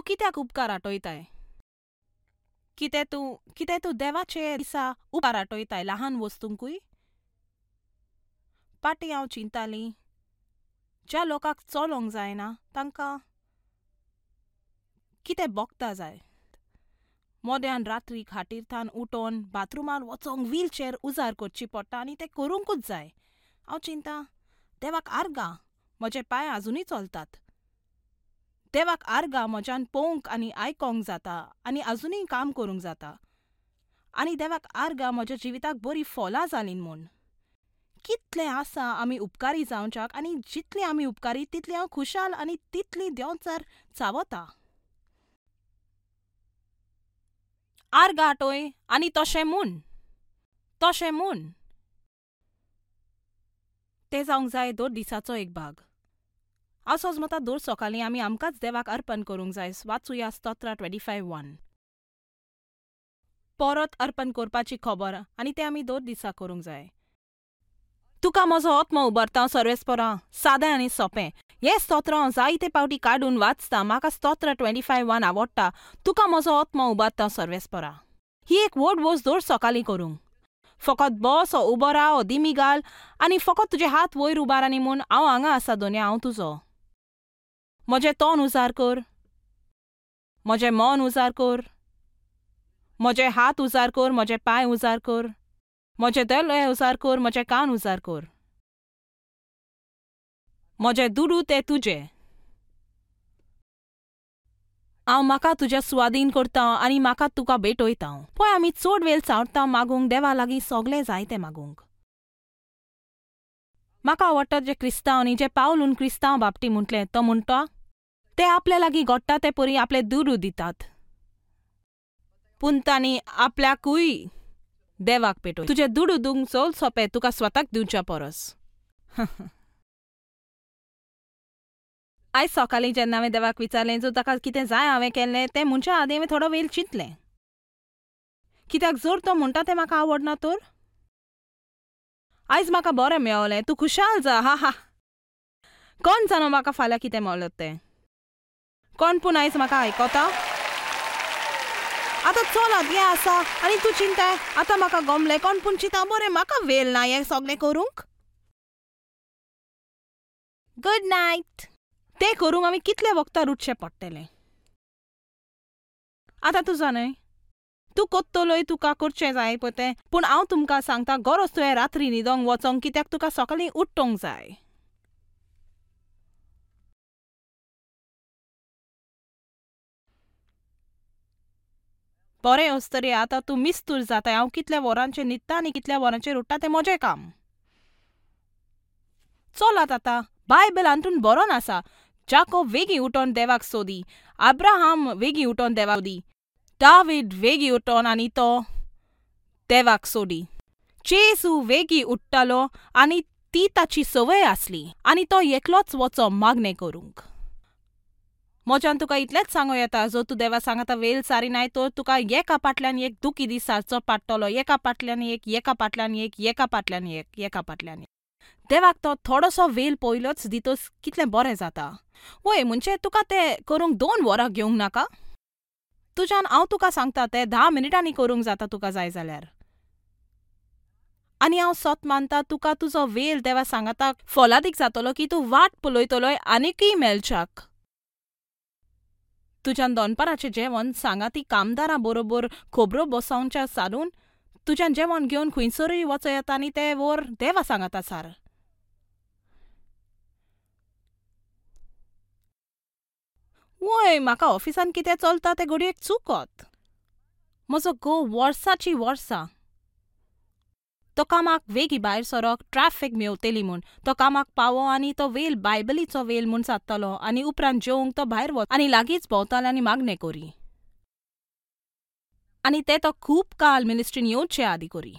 कित्याक उपकार आटोयताय? कितें तूं देवाचे दिसा उपकार आटोयताय लहान वस्तूंकूय? पाटी हांव चिंताली, ज्या लोकांक चलोंक जायना तांकां कितें बोगता जाय. मोद्यान रात्री खाटीर थावन उठोन बाथरुमान वचोंक व्हीलचॅर उजार करची पडटा आनी तें करूंकूच जाय. हांव चिंता, देवाक आर्गां म्हजे पांय आजुनूय चलतात. देवाक आर्गां म्हज्यान पळोवंक आनी आयकोंक जाता आनी आजुनूय काम करूंक जाता. आनी देवाक आर्गां म्हज्या जिविताक बरीं फलां जालीं म्हूण. कितलें आसा आमी उपकारी जावच्याक आनी जितली आमी उपकारी तितली हांव खुशाल आनी तितली देंवचार चावता. आर्गां आटोय आनी तशें म्हूण, तशें म्हूण. तें जावंक जाय दर दिसाचो एक भाग. हांव सोजमता दर सकाळीं आमी आमकांच देवाक अर्पण करूंक जाय. वाचुया स्तोत्र 25:1. परत अर्पण करपाची खबर आनी तें आमी दर दिसा करूंक जाय. तुका म्हजो आत्मो उबारता सर्वेस्परा, सादें आनी सोंपें. हें स्तोत्र हांव जायते पावटी काडून वाचता. म्हाका स्तोत्र 25:1 आवडटा. तुका म्हजो आत्मो उबारता सर्वेस्परा. ही एक व्हड वस्त दर सकाळीं करूंक. फकत बस ओ उबो राव ओ दिमी घाल आनी फकत तुजे हात वयर उबार आनी म्हूण हांव हांगा आसा दोनया, हांव तुजो. म्हजें तोंड उजार कर, म्हजें मन उजार कर, म्हजे हात उजार कर, म्हजे पांय उजार कर, म्हजे दोळे उजार कर, म्हजे कान उजार कर. म्हजे दुडू ते तुजे. हांव म्हाका तुज्या सुवादीन करता आनी म्हाका तुका भेटयता. पळय आमी चड वेळ चावता मागूंक देवा लागीं सगळें जाय तें मागूंक. म्हाका आवडटा जे क्रिस्तांव न्ही, जे पावलून क्रिस्तांव बापटी म्हटलें, तो म्हणटा ते आपल्या लागीं घडटा ते परी आपले दुडू दितात, पूण तांणी आपल्याकूय देवाक पेटोय. तुजे दुडू दिवंक चड सोंपें तुका स्वताक दिवच्या परस. आयज सकाळीं जेन्ना हांवें देवाक विचारलें जर ताका कितें जाय हांवें केल्लें तें म्हणच्या आदीं हांवें थोडो वेळ चिंतलें. कित्याक जर तो म्हणटा तें म्हाका आवडना तर? आयज म्हाका बरें मेवलें, तूं खुशाल जा. हा हा, कोण जाणो म्हाका फाल्यां कितें मेवलें तें. कोण पूण आयज म्हाका आयकता? आतां चलात हें आसा आनी तूं चिंताय आतां म्हाका गमलें. कोण पूण चिंता बरें म्हाका वेळ ना हें सगळें करूंक. Good night. तें करूंक आमी कितले वखदार उठचें पडटलें. आतां तूं जाणय, तूं कोत्तलोय तुका करचें जाय पळय तें, पूण हांव तुमकां सांगता गरज तुवें रात्री न्हिदोंक वचोंक, कित्याक तुका सकाळीं उठोंक जाय. बरें अस्तरी आतां तूं मिस्तूर जाताय. हांव कितल्या वरांचेर न्हिदता आनी कितल्या वरांचेर उठ्ठा तें म्हजें काम. चलात आतां बायबल हातून बरोवन आसा, जाकोब वेगीं उठोन देवाक सोदी, अब्राहम वेगीं उठोन देवाक सोदी, दावीद वेगीं उठोन आनी तो देवाक सोदी, जेजू वेगीं उठ्ठालो आनी ती ताची संवय आसली आनी तो एकलोच वचो मागणें करूंक. म्हज्यान तुका इतलेंच सांगूं येता, जर तूं देवा सांगाता वेळ सारिनाय तर तुका एका फाटल्यान एक दुखी दीस सारचो पडटलो, एका फाटल्यान एक, एका फाटल्यान एक, एका फाटल्यान एक, एका फाटल्यान एक. देवाक तो थोडोसो वेळ पयलोच दितोच कितलें बरें जाता. वय म्हणजे तुका तें करूंक 2 वरां घेवंक नाका. तुज्यान हांव तुका सांगता तें 10 मिनटांनी करूंक जाता तुका जाय जाल्यार. आनी हांव सत मानता तुका तुजो वेळ देवा सांगाता फलादीक जातलो की तूं वाट पळयतलोय आनीकय मेळच्याक. तुज्यान दनपाराचें जेवण सांगाती कामदारां बरोबर खबरो बसोवच्या सारून तुज्यान जेवण घेवन खंयसरूय वचो येता आनी तें वर देवा सांगाता सार. वय म्हाका ऑफिसान कितें चलता तें घडयेक चुकत. म्हजो घोव वर्साचीं वर्सां तो कामाक वेगीं भायर सरक, ट्रॅफीक मेवतली म्हूण तो कामाक पावो आनी तो वेल बायबलीचो वेल म्हूण जातालो आनी उपरांत जेवंक तो भायर वच आनी लागींच भोंवतालो आनी मागणें करी. आनी तें तो खूब काल मिनिस्ट्रीन येवचे आदीं करी.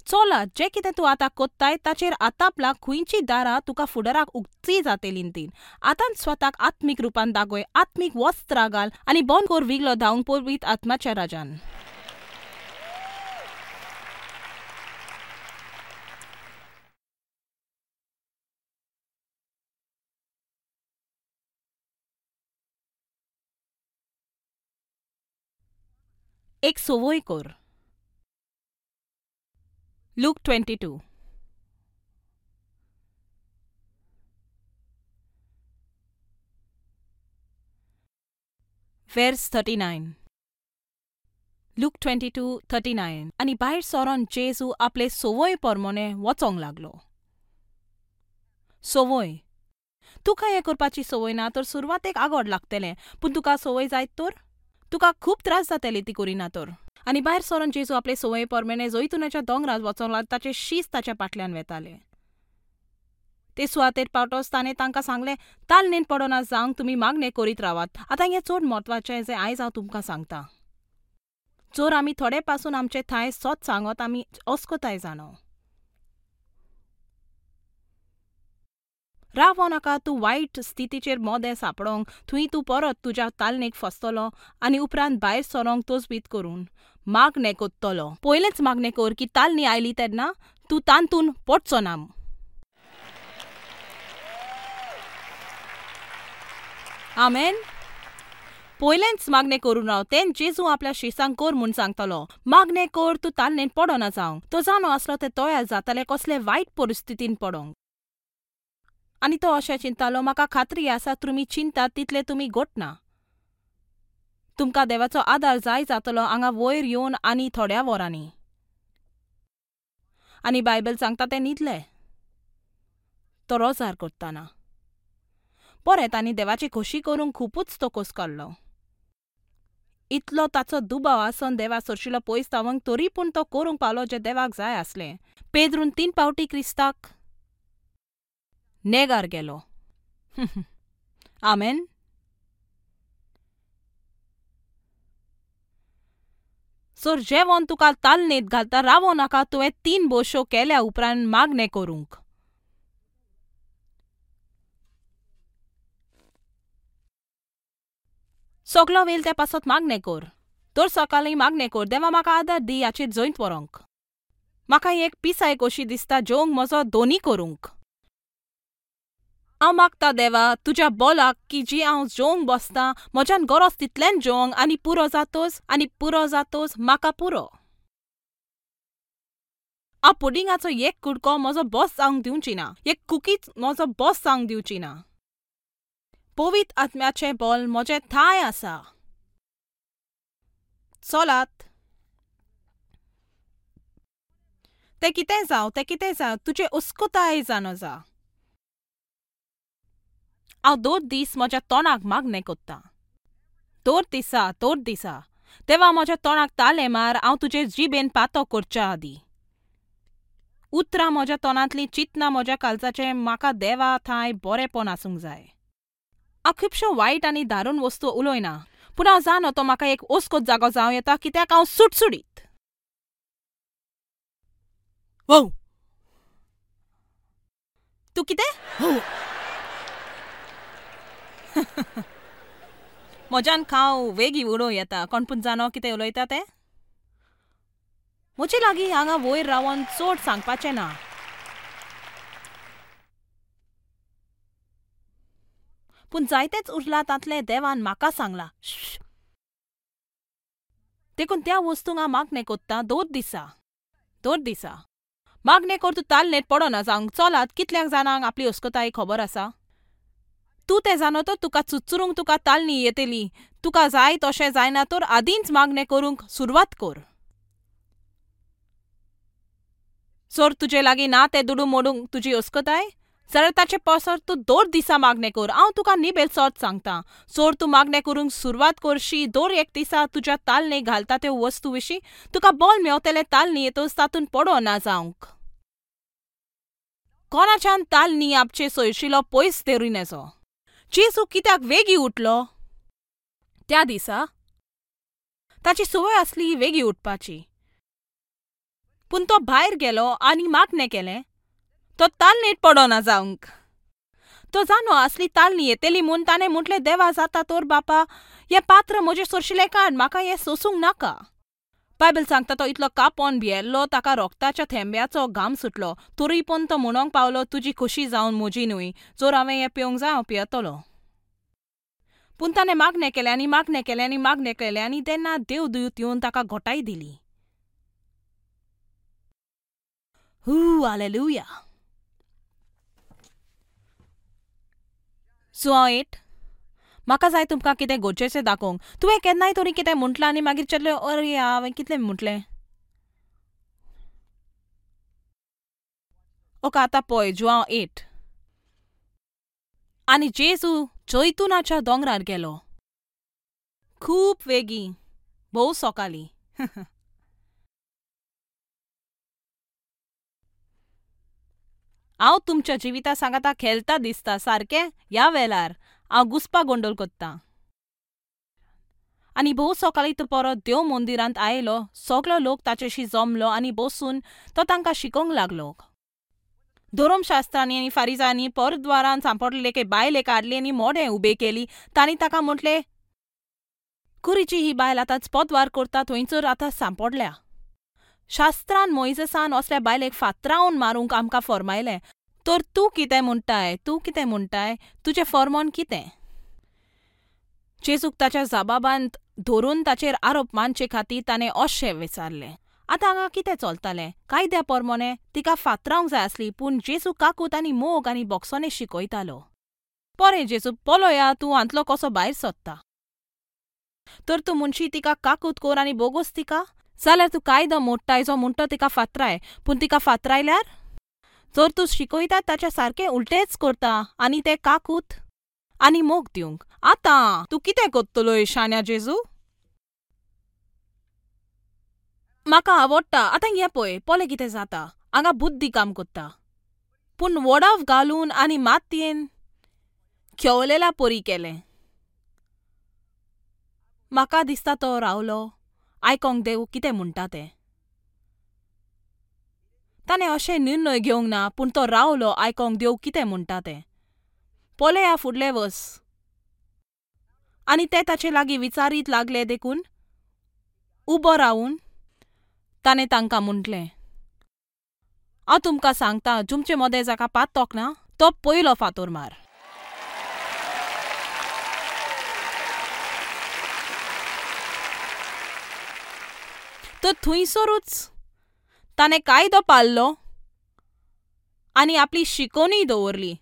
चलात जें कितें तूं आतां कोत्ताय ताचेर आतां खंयची दारां तुका फुडाराक उक्ती जातलीं तीं. आतांच स्वताक आत्मीक रुपान दागय, आत्मीक वस्त्रां घाल आनी बंद कर विगलो धांवंक पवित्र आत्माच्या राजान. एक संवय कर. Luke 22. Verse 39. Luke 22:39. आनी भायर सरोन जेजू आपले संवय परमोने वचोंक लागलो. संवय. तुका हें करपाची संवय ना तर सुरवातेक आगोड लागतलें, पूण तुका संवय जायत तर तुका खूब त्रास जातले ती करिना तर. आनी भायर सरोन जेजू आपले संवय परमोने जैतुनाच्या दोंगरार वचोंक लागलो. ताचे शीस ताच्या फाटल्यान वेताले. ते सुवातेर पावतोच ताणें तांकां सांगलें, तालनेन पडना जावंक तुमी मागणें करीत रावात. आतां हें चड म्हत्वाचें जें आयज हांव तुमकां सांगतां. जर आमी थोडे पासून आमचे थांय सत सांगत आमी अस्कताय जाणो. रावो नाका तूं वायट स्थितीचेर मोदें सांपडोंक, थंय तूं परत तुज्या तालनेक फसतलो आनी उपरांत भायर सरोंक तजवीज करून मागणें कोत्तलो. पयलेंच मागणें कर की तालनी आयली तेन्ना तूं तातूंत पडचो ना. आमेन. पयलेंच मागणें करून राव. तें जेजू आपल्या शिसांक कर म्हूण सांगतलो. मागणें कर तूं तालनेन पडना जावंक. तो जाणो आसलो ते तयार जाताले कसले वायट परिस्थितीन पडोंक. आनी तो अशें चिंतालो, म्हाका खात्री आसा तुमी चिंतात तितले तुमी घटना. तुमकां देवाचो आदार जाय जातलो हांगा वयर येवन आनी थोड्या वरांनी. आनी बायबल सांगता ते न्हिदले तो रोजार करतना. बरें, तांणी देवाची खोशी करूंक खुबूच तो खोस काडलो. इतलो ताचो दुबाव आसून देवा सरशिलो पयस तावंक, तरी पूण तो करूंक पावलो जें देवाक जाय आसलें. पेद्रून 3 फावटी क्रिस्ताक नेगार गेलो. आमेन. सर जेवण तुका तालनेत घालता, रावो नाका तुवें 3 बोशो केल्या उपरांत मागणें करूंक. सगलो वेळ त्या पासत मागणें कर. दर सकाळीं मागणें कर, देवा म्हाका आदार दी हाचेर जैत व्हरूंक. म्हाका एक पिसाय कशी दिसता जेवंक म्हजो दोनी करूंक. हांव मागता देवा तुज्या बोलाक की जी हांव जेवंक बसता म्हज्यान गरज तितलेंच जेवंक आनी पुरो जातोच आनी पुरो जातोच म्हाका पुरो. हांव पुडिंगाचो एक कुडको म्हजो बॉस जावंक दिवची ना, एक कुकीच म्हजो बॉस जावंक दिवची ना. पवित्र आत्म्याचें बोल म्हजें थांय आसा. चलात. तें कितें जावं, तें कितें जावं, तुजें अस्कताय जाणो जा. हांव दर दीस म्हज्या तोंडाक मागणें कोत्तां. दर दिसा, दर दिसा. देवा म्हज्या तोंडाक तालें मार, हांव तुजे जिबेन पातो करच्या आदीं. उतरां म्हज्या तोंडांतलीं चिंतनां म्हज्या काळजाचें म्हाका देवा थांय बरेंपण आसूंक जाय. हांव खुबश्यो वायट आनी दारून वस्तू उलयना, पूण हांव जाणो तो म्हाका एक ओस्कोत जागो जावं येता कित्याक हांव सुटसुटीत. वो तूं कितें? म्हज्यान खाव वेगीं उडोवं येता. कोण पूण जाणो कितें उलयता तें? म्हजे लागीं हांगा वयर रावन चड सांगपाचें ना. पूण जायतेंच उरलां तांतलें देवान म्हाका सांगलां. देखून त्या वस्तूंक हांव मागणें कोत्तां दर दिसा, दर दिसा. मागणें कर तूं तालनेत पडना जावंक. चलात, कितल्यांक जाणांक आपली अस्कताय खबर आसा? तूं तें जाणो तर तुका चुचरूंक तुका तालनी येतली. तुका जाय तशें जायना तर आदींच मागणें करूंक सुरवात कर. सर तुजे लागीं ना तें दुडू मोडूंक तुजी अस्कताय जाल्यार ताचे पासत तूं दर दिसा मागणें कर. हांव तुका निबेल सत सांगतां, सर तूं मागणें करूंक सुरवात करशी दर एक दिसा तुज्या तालने घालता त्यो वस्तू विशीं तुका बोल मेवतलें. तालनी येतोच तातूंत पडना जावंक. कोणाच्यान तालनी आपचे सोयशिलो पयस धरून येचो. जेजू कित्याक वेगीं उठलो त्या दिसा? ताची संवय आसली वेगीं उठपाची. पूण तो भायर गेलो आनी मागणें केलें. तो तालनेत पडना जावंक. तो जाणो आसली तालनी येतली म्हूण ताणें म्हटलें, देवा जाता तर बापा हें पात्र म्हजें सोरशिलें काड, म्हाका हें सोसूंक नाका. बायबल सांगता तो इतलो कापोन भियेल्लो ताका रोगताच्या थेंब्याचो घाम सुटलो. तरी पूण तो म्हणोंक पावलो, तुजी खोशी जावन म्हजी न्हय, जर हांवें हें पिवंक जाय हांव पियेतलो. पूण ताणें मागणें केलें आनी मागणें केलें आनी मागणें केलें आनी तेन्ना देवदूत येवन ताका घोटाय दिली. हू हालेलुया. जुआंव 8. म्हाका जाय तुमकां कितें गरजेचें दाखोवंक. तुवें केन्नाय तरी कितें म्हटलां आनी मागीर चिंतलें अरे हांवें कितलें म्हटलें. ओके आतां पळय जुआंव 8. आनी जेजू जैतुनाच्या दोंगरार गेलो. खूब वेगीं, भोव सकाळीं. हांव तुमच्या जिविता सांगाता खेळटा दिसता सारकें ह्या वेळार हांव घुसपा गोंदळ कोत्तां. आनी भोव सकाळीं तो परत देव मंदिरांत आयलो. सगलो लोक ताचेशी जमलो आनी बसून तो तांकां शिकोवंक लागलो. धर्मशास्त्रांनी आनी फारिजांनी परद्वारान सांपडलेले एके बायलेक हाडली आनी मोडें उबे केली. तांणी ताका म्हटलें, कुरीची ही बायल आतांच पदवार करता थंयसर आतां सांपडल्या. शास्त्रान मोयजेसान असल्या बायलेक फातरावन मारूंक आमकां फर्मायलें. तर तूं कितें म्हणटाय? तूं कितें म्हणटाय? तुजें फर्मान कितें? जेजूक ताच्या जबाबांत धरून ताचेर आरोप मानचे खातीर ताणें अशें विचारलें. आतां हांगा कितें चलतालें? कायद्या प्रमाणें तिका फातरावंक जाय आसली, पूण जेजू काकूत आनी मोग आनी बोक्सोने शिकयतालो. बरें जेजू, पळया तूं हांतलो कसो भायर सोदता. तर तूं म्हणशी तिका काकूत कर आनी बोगोस तिका, जाल्यार तूं कायदो मोडटाय जो म्हणटा तिका फातराय. पूण तिका फातरायल्यार जर तूं शिकयता ताच्या सारकें उलटेंच करता आनी तें काकूत आनी मोग दिवंक. आतां तूं कितें करतलोय शाण्या जेजू? म्हाका आवडटा. आतां हें पळय, पळय कितें जाता. हांगा बुद्दी काम करता, पूण वडाव घालून आनी मातयेन खेवलेल्या परी केलें. म्हाका दिसता तो रावलो आयकोंक देव कितें म्हणटा तें. ताणें अशें निर्णय घेवंक ना, पूण तो रावलो आयकोंक देव कितें म्हणटा तें. पळया फुडलें वर्स. आनी ते ताचे लागीं विचारीत लागले देखून उबो रावून ताणें तांकां म्हटलें, हांव तुमकां सांगता, तुमचे मदें जाका पातोक ना तो पयलो फातोर मार. तर थंयसरूच ताणें कायदो पाळ्ळो आनी आपली शिकोवणीय दवरली.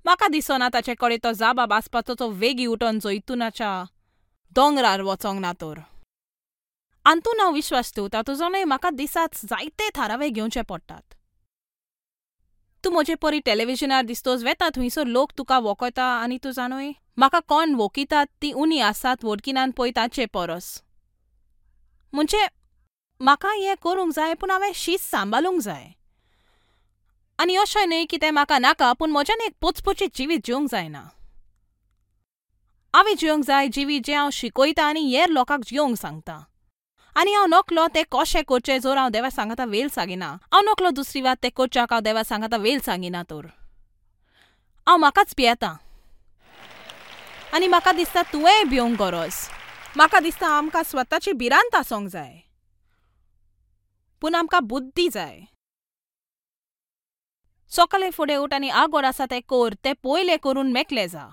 म्हाका दिसना ताचे कडेन तो जाबाब आसपाचो तो वेगीं उठोन जैतुनाच्या दोंगरार वचोंक ना तर. आंतून हांव विश्वास दवरता तुजो न्हय. म्हाका दिसाच जायते थारावे घेवचे पडटात. तूं म्हजे परी टेलिविजनार दिसतोच वेता थंयसर लोक तुका वखयता आनी तूं जाणूय म्हाका कोण वखयतात ती उणी आसात वडकिनान पळय ताचे परस. म्हणजे म्हाका हें करूंक जाय, पूण हांवें शीत सांबाळूंक जाय. आनी अशें न्हय की तें म्हाका नाका, पूण म्हज्यान एक पचपचीत जिवीत जिवंक जायना. हांवें जिवंक जाय जिवीत जें हांव शिकयता आनी हेर लोकांक जिवंक सांगता. आनी हांव नकलो तें कशें करचें जर हांव देवा सांगाता वेल सांगिना. हांव नकलो दुसरी वात तें करच्याक हांव देवा सांगाता वेल सांगिना तर हांव म्हाकाच भियेता. आनी म्हाका दिसता तुवेंय भिवंक गरज. म्हाका दिसता आमकां स्वताची भिरांत आसूंक जाय, पूण आमकां बुद्दी जाय. सकाळीं फुडें उठ आनी आगोड आसा तें कर, तें पयलें करून मेकळें जा.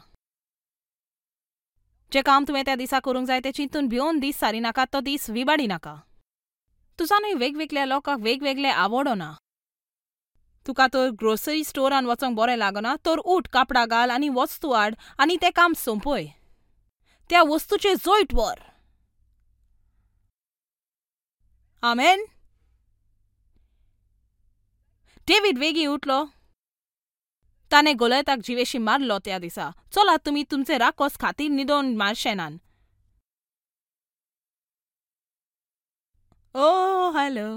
जें काम तुवें त्या दिसा करूंक जाय तें चिंतून भिवन दीस सारी नाका, तो दीस विबाडी नाका. तुजा न्हय वेगवेगळ्या लोकांक वेगवेगळे आवडना. तुका तर ग्रोसरी स्टोरान वचोंक बरें लागना तर उठ, कापडां घाल आनी वस्तू हाड आनी तें काम सोंपय. त्या वस्तूचें जैत व्हर. आमेन. डेवीड वेगीं उठलो, ताणें गोलयताक जिवेशी मारलो त्या दिसा. चलात तुमी तुमचे राकोस खातीर न्हिदोवन मारशेनान. ओ हॅलो.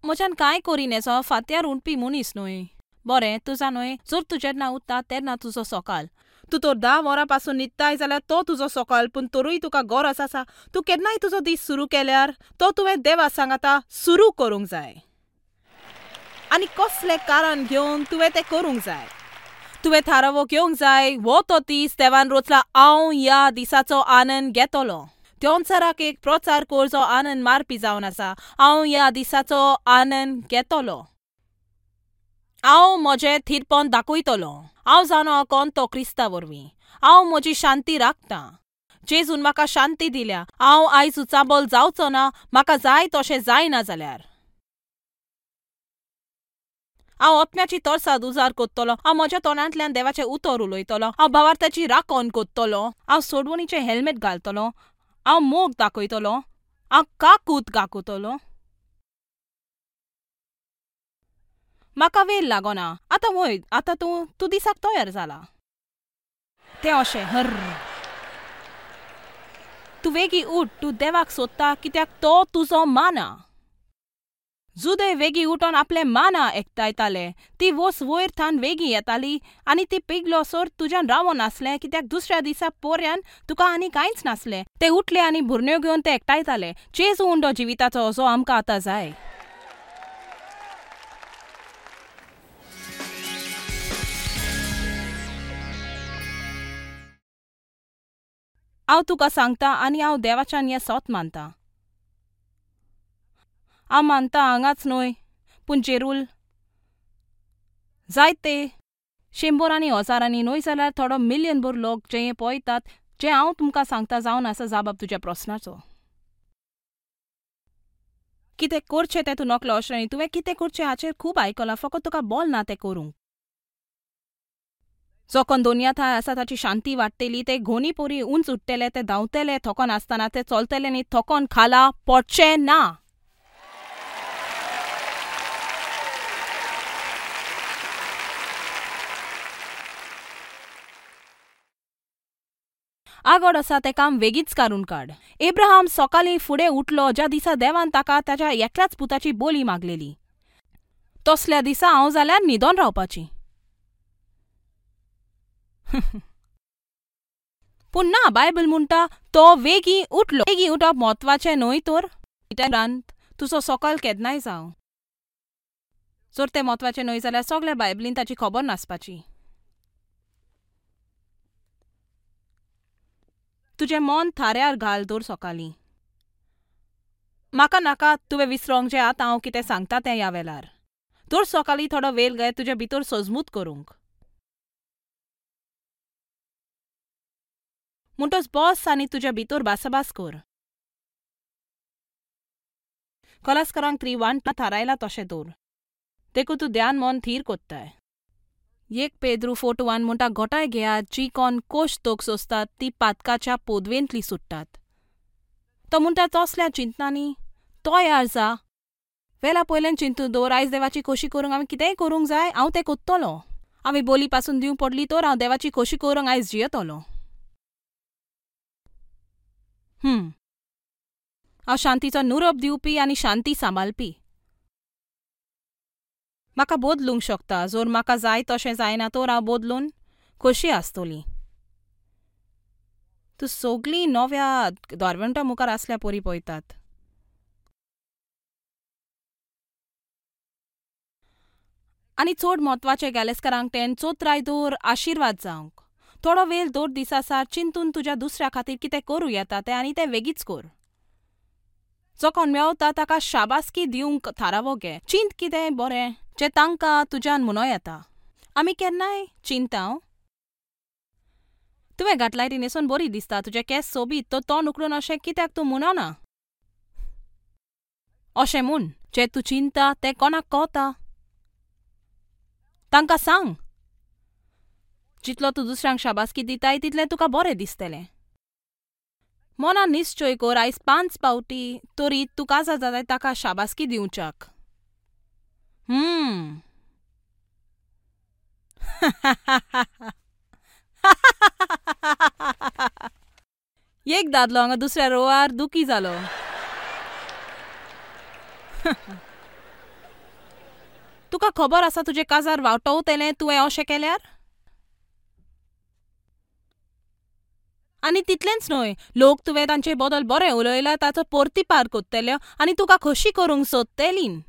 म्हज्यान कांय करिनेसो फांत्यार उठपी मनीस न्हय. बरें तुजा न्हय, जर तूं जेन्ना उठता तेन्ना तुजो सकाळ. तूं तर 10 वरां पासून न्हिदताय जाल्यार तो तुजो सकाळ, पूण तरूय तुका गरज आसा. तूं केन्नाय तुजो दीस सुरू केल्यार तो तुवें देवा सांगाता सुरू करूंक जाय. आनी कसलें कारण घेवन तुवें तें करूंक जाय. तुवें थारावो घेवंक जाय, हो तो दीस देवान रोचला, हांव ह्या दिसाचो आनंद घेतलो. देंवचाराक एक प्रचार कर जो आनंद मारपी जावन आसा. हांव ह्या दिसाचो आनंद घेतलो. हांव म्हजें थीरपण दाखयतलो. हांव जाणो कोण तो क्रिस्ता वरवीं. हांव म्हजी शांती राखतां. जेजून म्हाका शांती दिल्या. हांव आयज उचांबळ जावचो ना, म्हाका जाय तशें जायना जाल्यार. हांव आत्म्याची तरसाद उजार कोत्तलो. हांव म्हज्या तोंडांतल्यान देवाचें उतर उलयतलो. हांव भावार्थाची राखण कोत्तलो. हांव सोडवणीचें हेल्मेट घालतलो. हांव मोग दाखयतलो. हांव काकूत दाखयतलो. म्हाका वेळ लागना. आतां वय, आतां तूं तूं दिसाक तयार जाला. तें अशें हर तूं वेगीं उठ, तूं देवाक सोदता कित्याक तो तुजो माना. जुदे वेगीं उठोन आपले माना एकठांयताले. ती वस वयर थावन वेगीं येताली आनी ती पिगलोसर तुज्यान रावोन नासलें कित्याक दुसऱ्या दिसा पोऱ्यान तुका आनी कांयच नासलें. ते उठले आनी भुरण्यो घेवन ते एकठांयताले. जेजू उंडो जिविताचो जो आमकां आतां जाय. हांव तुका सांगता आनी हांव देवाच्यान हें सत मानता. हांव मानता हांगाच न्हय पूण जेरूल जायते शंबरांनी हजारांनी न्हय जाल्यार थोडो मिलियन भर लोक जे हें पळयतात जें हांव तुमकां सांगता जावन आसा जाबाब तुज्या प्रस्नाचो. कितें करचें तें तूं नकळो अशें न्हय. तुवें कितें करचें हाचेर खूब आयकलां, फकत तुका बोल ना तें करूंक. जो कोण दोनया थांय आसा ताची शांती वाडटली. ते घोनी पोरी उंच उठ्ठले, ते धांवतले थकोन आसतना, ते चलतले न्ही थकोन खाला पडचें ना. आगोड आसा तें काम वेगींच काडून काड. एब्राहाम सकाळीं फुडें उठलो ज्या दिसा देवान ताका ताच्या एकल्याच पुताची बोली मागलेली. तसल्या दिसा हांव जाल्यार न्हिदोन रावपाची. पूण ना, बायबल म्हणटा तो वेगीं उठलो. वेगीं उठप म्हत्वाचें न्हय तर उपरांत तुजो सकाळ केन्नाय जावं. जर तें म्हत्वाचें न्हय जाल्यार सगल्या बायबलीन ताची खबर नासपाची. तुजें मन थाऱ्यार घाल दर सकाळीं. म्हाका नाका तुवें विसरोंक जें आतां हांव कितें सांगता तें ह्या वेळार. दर सकाळीं थोडो वेळ घे तुजे भितर सजमूत करूंक. म्हणटच बस आनी तुज्या भितर भासाभास कर. कलास्करांक 3:1 थारायला तशें दवर. देखून तूं ध्यान मन थीर कोत्ताय. 1 पेद्रू 4:1 म्हणटा घोटाय घेयात जी कोण कोश तोक सोंसतात ती पातकाच्या पोदवेंतली सुट्टात. तो म्हणटा तसल्या चिंतनांनी तयार जा. वेला पयल्यान चिंतून दवर आयज देवाची खोशी करूंक हांवें कितेंय करूंक जाय, हांव तें कोत्तलो. हांवें बोली पासून दिवंक पडली तर हांव देवाची खोशी करूंक आयज जियेतलो. हांव शांतीचो नुरोप दिवपी आनी शांती सांबाळपी. म्हाका बदलूंक शकता. जर म्हाका जाय तशें जायना तर हांव बदलून खोशी आसतली. तूं सगळीं नव्या दारवंटा मुखार आसल्या परी पळयतात. आनी चड म्हत्वाचें गॅलेस्करांक 10 चोत्राय दवर आशिर्वाद जावंक. थोडो वेळ दर दिसा सार चिंतून तुज्या दुसऱ्या खातीर कितें करूं येता तें आनी तें वेगींच कर. जो कोण मेवता ताका शाबासकी दिवंक थारावो घे. चिंत कितें बरें जें तांकां तुज्यान म्हणो येता. आमी केन्नाय चिंता. तुवें घातलाय ती न्हेसून बरी दिसता, तुजे केंस सोबीत, तो तोंड उकडून अशें कित्याक तूं म्हणना? अशें म्हूण जें तूं चिंता तें कोणाक कळटा तांकां सांग. जितलो तूं दुसऱ्यांक शाबासकी दिताय तितलें तुका बरें दिसतलें. मनान निश्चय कर आयज 5 पावटी तरी तूं काजार जाताय ताका शाबासकी दिवच्याक. एक दादलो हांगा दुसऱ्या रोवार दुखी जालो. तुका खबर आसा तुजें काजार वावटवतलें तुवें अशें केल्यार? आनी तितलेंच न्हय, लोक तुवें तांचे बदल बरें उलयला ताचो परतिपार कोत्तले आनी तुका खोशी करूंक सोदतलीं.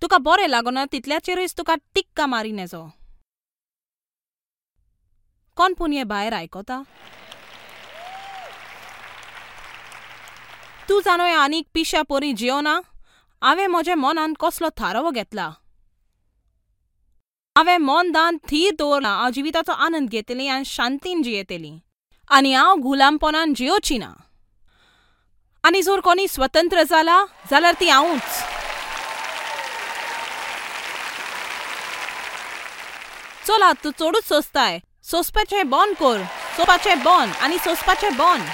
तुका बरें लागना तितल्याचेरूच तुका टिक्का मारी नेजो. कोण पूण हें भायर आयकता? तूं जाणो आनीक पिश्या परी जियोना? हांवें म्हज्या मनान कसलो थारावो घेतला. हांवें मन दान थीर दवरलां. हांव जिविताचो आनंद घेतली आनी शांतीन जियेतली आनी हांव गुलामपणान जियोची ना. आनी जर कोणी स्वतंत्र जाला जाल्यार ती हांवूच. चला तूं चडूच सोंसताय. सोंसपाचें बंद कर. सोंसपाचें बंद आनी सोंसपाचें बंद.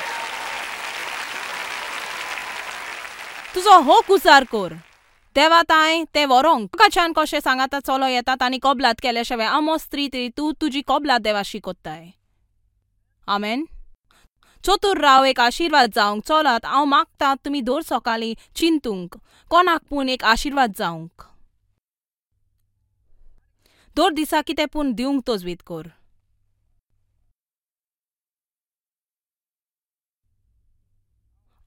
तुजो हो कुसार कर. देवा तांय तें व्हरोंक तुकाच्यान कशें सांगाता चलो येतात आनी कबलात केल्या शिवाय आमोस 3:3 तूं तुजी कबलात देवाशी कोत्ताय. आमेन. चतूर राव एक आशिर्वाद जावंक. चलात हांव मागता तुमी दर सकाळीं चिंतूंक कोणाक पूण एक आशिर्वाद जावंक. दर दिसा कितें पूण दिवंक तजवीज कर.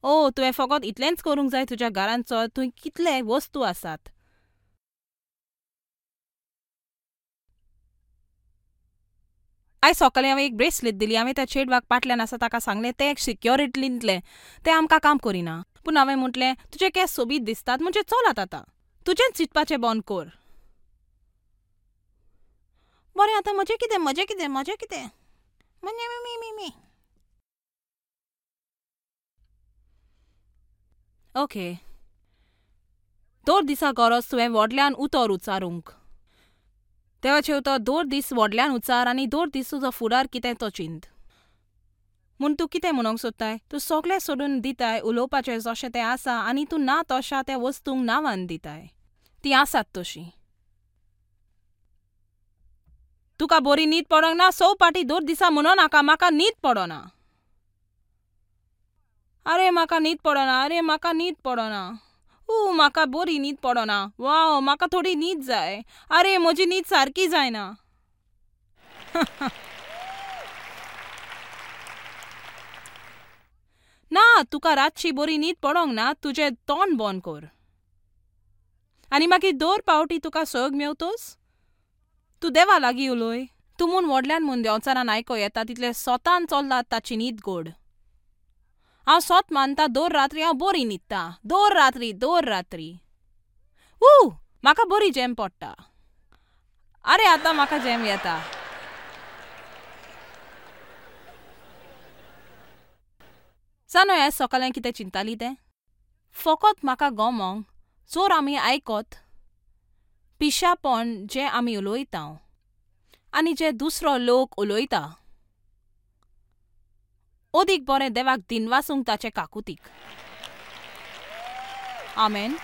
ओ तुवें फकत इतलेंच करूंक जाय. तुज्या घरांत चल, थंय कितले वस्तू आसात. आयज सकाळीं हांवें एक ब्रेसलेट दिली. हांवें त्या चेडवाक पाटल्यान आसा ताका सांगलें तें एक सिक्योरिटींतलें, तें आमकां काम करिना. पूण हांवें म्हटलें तुजे केंस सोबीत दिसतात म्हणजे चलात आतां तुजेंच चिंतपाचें बंद कर. बरें आतां म्हजें कितें म्हजें कितें म्हजें कितें म्हणजे मी ओके. दर दिसा गरज तुवें व्हडल्यान उतर उच्चारूंक. देवाचें उतर दर दीस व्हडल्यान उच्चार आनी दर दीस तुजो फुडार कितें तो चिंत. म्हूण तूं कितें म्हणूंक सोदताय? तूं सगळें सोडून दिताय उलोवपाचें जशें तें आसा आनी तूं ना तशा त्या वस्तूंक नांवान दिताय. तीं आसात तशीं. तुका बरी न्हीद पडोंक ना 100 पाटी दर दिसा म्हणो नाका म्हाका न्हीद पडना. अरे म्हाका न्हीद पडना, अरे म्हाका न्हीद पडना, ऊ म्हाका बरी न्हीद पडना, वाव म्हाका थोडी न्हीद जाय, अरे म्हजी न्हीद सारकी जायना. ना तुका रातची बरी न्हीद पडोंक ना तुजें तोंड बंद कर. आनी मागीर दर पावटी तुका सग मेवतोच तूं देवा लागीं उलय. तूं म्हूण व्हडल्यान म्हूण देंवचारान आयको येता तितलें सोतान चल्लात ताची न्हीद गोड. हांव सोत मानता दर रात्री हांव बरी न्हिदता. दर रात्री दर रात्री ऊ म्हाका बरी जेम पडटा. अरे आतां म्हाका जेम येता. जाणो ह्या सकाळीं कितें चिंताली तें फकत म्हाका गमोंक जोर आमी आयकत पिशापण जें आमी उलयता आनी जे दुसरो लोक उलयता अदीक बरें देवाक दिनवासूंक ताचे काकुतीक. आमेन.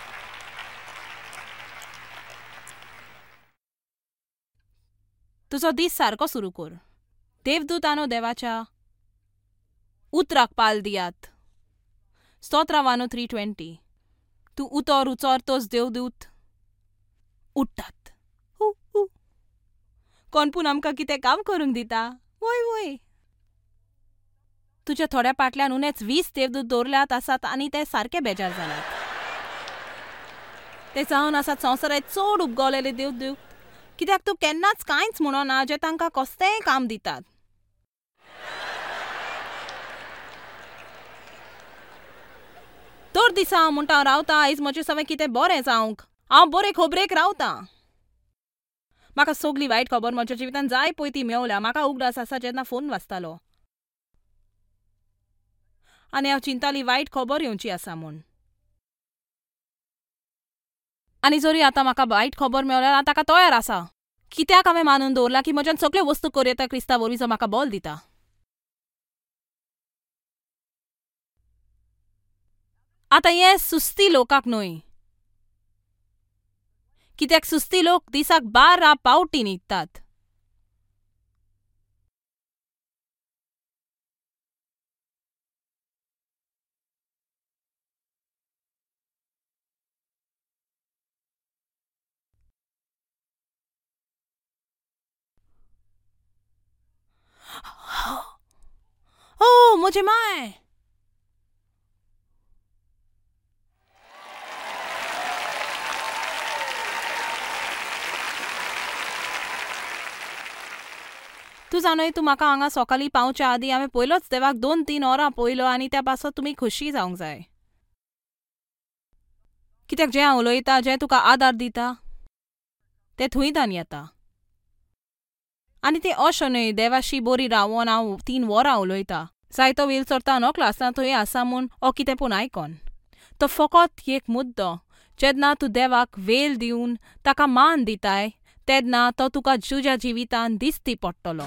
तुजो दीस सारको सुरू कर. देवदूतानो देवाच्या उतराक पाल दियात. स्तोत्रावानो 3:20. तूं उतर उचरतोच देवदूत उठ्ठात. हू हू कोण पूण आमकां कितें काम करूंक दिता. वय वय तुज्या थोड्या पाटल्यान उणेच 20 देवदूत दवरल्यात आसात आनी ते सारके बेजार जाल्यात. ते जावन आसात संवसारांत चड उपगवलेले देवदूत. कित्याक तूं केन्नाच कांयच म्हणना जे तांकां कसलेंय काम दितात. दर दिसा हांव म्हणटा हांव रावता आयज म्हजें सगळें कितें बरें जावंक. हांव बरे खबरेक रावतां. म्हाका सगली वायट खबर म्हज्या जिवितांत जाय पळय ती मेवल्या. म्हाका उगडास आसा जेन्ना फोन वाजतालो आनी हांव चिंताली वायट खबर येवची आसा म्हूण. आनी जरी आतां म्हाका वायट खबर मेवल्यार हांव ताका तयार आसा. कित्याक हांवें मानून दवरलां की म्हज्यान सगळ्यो वस्तू करूं येता क्रिस्ता वरवीं जो म्हाका बल दिता. आतां हें सुस्ती लोकांक न्हय. कित्याक सुस्ती लोक दिसाक 12 पावटी न्हिदतात. ओ म्हजे माय. तूं जाणय तूं म्हाका हांगा सकाळीं पावच्या आदीं हांवें पयलोच देवाक 2-3 वरां पळयलो आनी त्या पासत तुमी खोशी जावंक जाय. कित्याक जें हांव उलयतां जें तुका आदार दिता तें थंयतान येता. आनी तें अशें न्हय देवाशी बोरी रावोन हांव 3 वरां उलयता. जायतो वेळ चोरता नकळो आसतना थंय आसा म्हूण ओ कितें पूण आयकोन. तो फकत एक मुद्दो, जेन्ना तूं देवाक वेळ दिवन ताका मान दिताय तेन्ना तो तुका तुज्या जिवितान दिश्टी पडटलो.